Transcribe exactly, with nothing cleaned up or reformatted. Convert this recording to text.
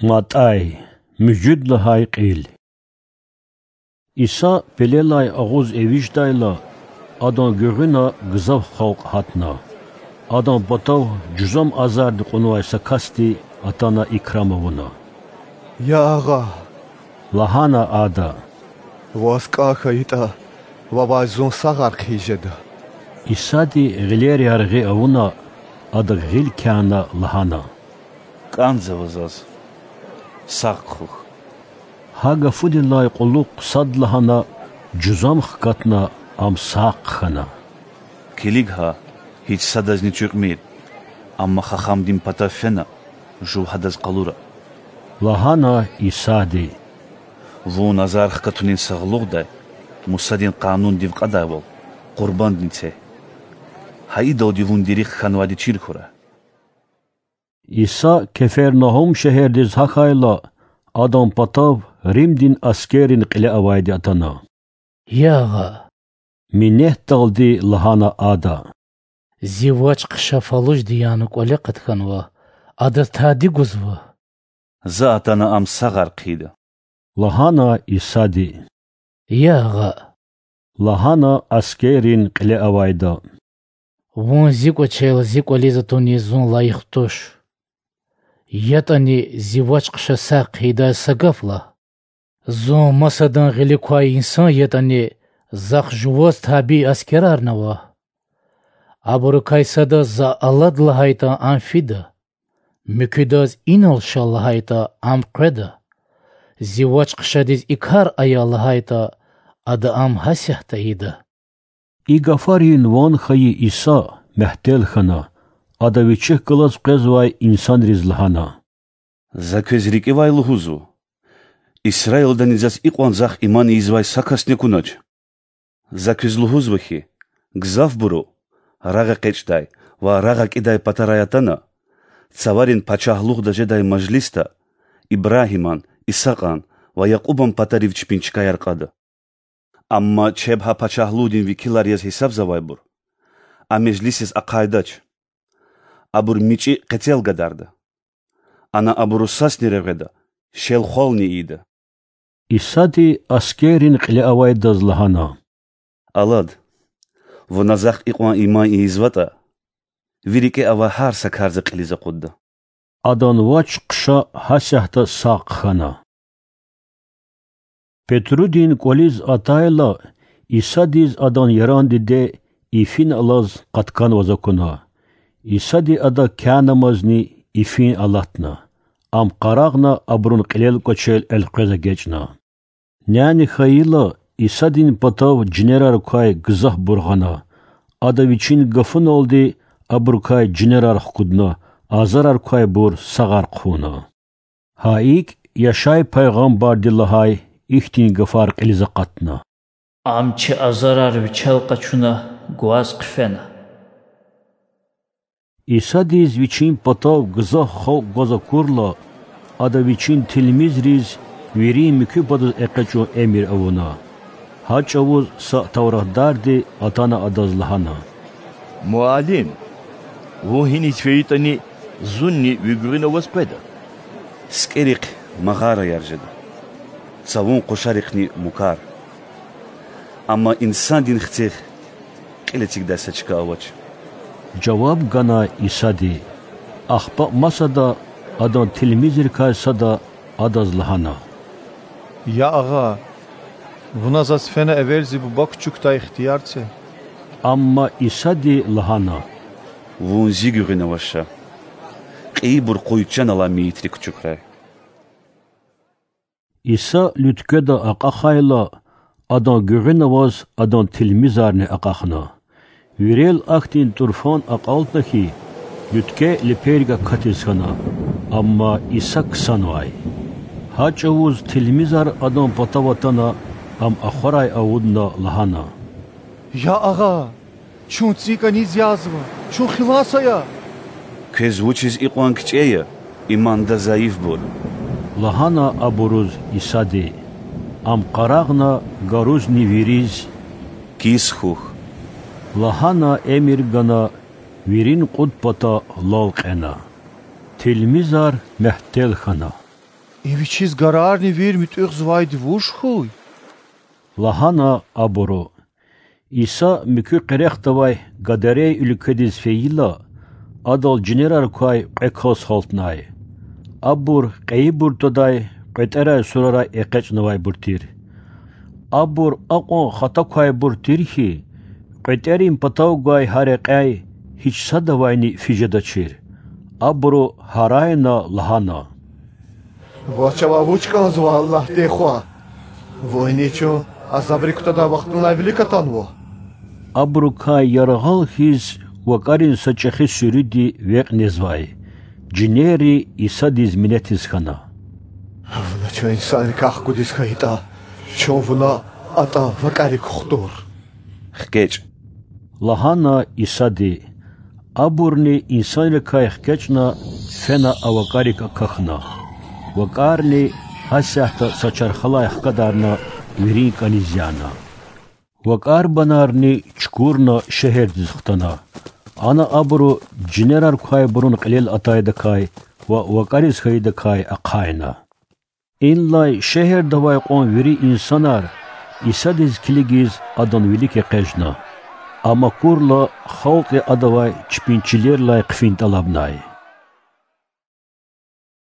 МатӀай. Муьжуьд лагьай кьил. Иса пелелай агъуз эвичӀдайла, Адан гуьгъуьна гзаф халкь гьатна. Адан патав жузам азарди кьунвай са касди атана икрам авуна. Я Агъа,– лагьана Ада,– Ваз кӀан хьайитӀа, Вавай зун сагъар хъийиз жеда. Исади гъилер яргъи авуна, Адак гъил кяна, лагьана: КӀанзава Заз, сагъ хъхьухь. Гьа гафунилай кьулухъ садлагьана жузам хкатна, ам сагъ хъхьана. Килиг гьа, гьич садазни чуькьмир, амма хахамдин патав фена, жув гьадаз къалура,– лагьана Исади. Вун азар хкатунин сагълугъдай, Мусадин Къанундив кьадайвал, къурбандни це. Гьа идалди вун дерих хьанвайди чир хьурай. Иса Кефернагьум шегьердиз гьахьайла, Адан патав Римдин аскеррин кьиле авайди атана. Я Агъа,– минетдалди лагьана ада,– зи вач-хъша фалужди яна кӀвале къатканва, адаз тади гузва? За атана ам сагъар хъийида,– лагьана Исади. Я Агъа,– лагьана аскеррин кьиле авайда,– Вун Зи кӀвачел Зи кӀвализ атунни Зун лайих туш. ЯтӀани Зи вач-хъша сагъ хъийидай са гаф лагь. Зун масадан гъилик квай инсан ятӀани, Захъ жуваз табий аскерарни ава. Абурукай садаз За алад лагьайтӀа, ам фида, муькуьдаз Инал ша лагьайтӀа, ам къведа, Зи вач-хъшадиз и кар ая лагьайтӀа, ада ам гьасятда ийида. И гафарин ван хьайи Иса мягьтел хьана, Ада Вичихъ галаз къвезвай инсанриз лагьана: За квез рикӀивай лугьузва: Исраилдани Заз икьван Захъ иман ийизвай са касни акунач. За квез лугьузва хьи, гзафбуру, рагъ экъечӀдай ва рагъ акӀидай патарай атана, цаварин пачагьлугъда жедай мажлисда Ибрагьиман, Исакьан ва Якьубан патарив чпин чкаяр кьада. Амма чеб гьа пачагьлугъдин векилар яз гьисабзавайбур а межлисиз ахъайдач. Абур мичӀи къецел гадарда. Ана абуру сасни регъведа, шел-хвални ийида. Исади аскеррин кьиле авайдаз лагьана: Алад, вуна Захъ икьван иман ийизватӀа, ви рикӀе авай гьар са кар За кьилиз акъудда. Адан вач-хъша гьасятда сагъ хьана. Петрудин кӀвализ атайла, Исадиз адан яран диде ифин алаз къатканваз акуна. Исади адак кянамазни ифин алатна. Ам къарагъна абурун кьилел кӀвачел элкъвез эгечӀна. Няни хьайила, Исадин патав жинерар квай гзафбур гъана. Ада Вичин гафуналди абурукай жинерар хкудна, азарар квайбур сагъар хъувуна. Гьа икӀ Яшай пайгъамбарди лагьай ихьтин гафар кьилиз акъатна: Ам чи азарар Вичел къачуна гваз хъфена. Исадиз Вичин патав гзаф халкь гваз акурла, Ада Вичин тилмизриз вирин муькуь патаз экъечӀун эмир авуна. Гьа чӀавуз са тавратдарди атана Адаз лагьана: Муаллим! Вун гьиниз фейитӀани, зунни ви гуьгъуьна ваз къведа. СикӀерихъ магъараяр жеда, цавун къушарихъни мукар, амма Инсандин Хцихъ кьил эцигдай са чка авач. Жаваб гана Исади. Ахпа масада Адан тилмизрикай сада Адаз лагьана: Я Агъа! Вуна заз фена эвел Зи Буба кучукдай ихтияр це. Амма Исади лагьана: Вун Зи гуьгъуьна ваз ша. Кьейибур къуй чан алай мейитри кучукрай. Иса луьткведа акьахайла, Адан гуьгъуьна аваз Адан тилмизарни акьахна. Вирел ахьтин тӀурфан акьалтна хьи, луьткве леперг акатиз хьана, амма Иса ксанвай. Гьа чӀавуз тилмизар Адан патав атана, Ам ахварай авудна лагьана: Я Агъа! Чун цӀийи кӀаниз язва, чун хилас ая! Квез вучиз икьван кичӀе я, иманда зайифбур? лагьана абуруз Исади. Ам къарагъна гарузни вириз: Кис хьухь,– лагьана эмир гана, вирин кьуд пата лал кьена. Тилмизар мягьтел хьана. И Вичиз гарарни вири муьтӀуьгъзавайди вуж хьуй? лагьана абуру. Иса муькуь къерехдавай Гадарей уьлкведиз фейила, Адал жинерар квай кьве кас гьалтнай. Абур кьейибур твадай, кьветӀерай сурарай экъечӀнавайбур тир. Абур акьван хата квайбур тир хьи, кьветӀерин патав гвай гьа рекьяй гьич садавайни физ жедачир. Абуру гьарайна лагьана: Ваз чавай вуч кӀанзава, Аллагьдин Хва? Вун чун азабрик кутадай вахтунилай вилик атанва. Абурукай яргъал хьиз вакӀарин са чӀехи суьруьди векь незвай. Жинерри Исадиз минетиз хьана: Вуна чун инсанрикай хкудиз хьайитӀа, чун Вуна атӀа вакӀарик хтур. ХкечӀ,– лагьана Исади. Абурни инсанрикай хкечӀна, фена а вакӀарик акахьна. ВакӀарни гьасятда са чархалай хкадарна, вирин кӀаниз яна. ВакӀарбанарни чукурна шегьердиз хтана. Ана абуру жинерар квайбурун кьилел атайдакай ва вакӀариз хьайидакай ахъайна. Инлай шегьерда авай кьван вири инсанар Исадиз килигиз Адан вилик экъечӀна. Ам акурла, халкьди Адавай чпин чилерилай хъфин тӀалабнай.